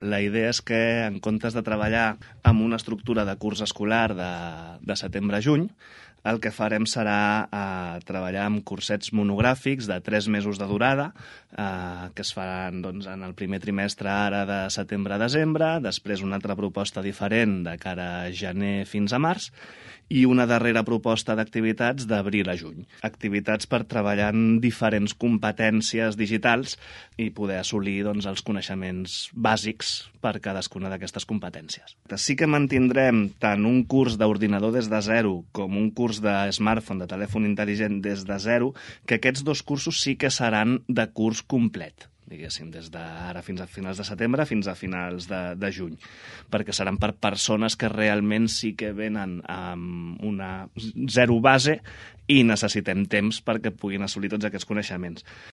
La idea és que, en comptes de treballar amb una estructura de curs escolar de setembre a juny, el que farem serà treballar amb cursets monogràfics de 3 mesos de durada, que es faran en el primer trimestre ara de setembre a desembre, després una altra proposta diferent de cara a gener fins a març, i una darrera proposta d'activitats d'abril a juny. Activitats per treballar en diferents competències digitals i poder assolir els coneixements bàsics per cadascuna d'aquestes competències. Sí que mantindrem tant un curs d'ordinador des de zero com un curs de smartphone, de telèfon intel·ligent des de zero, que aquests 2 cursos sí que seran de curs complet, diguéssim, des d'ara fins a finals de setembre fins a finals de juny, perquè seran per persones que realment sí que venen amb una zero base i necessitem temps perquè puguin assolir tots aquests coneixements.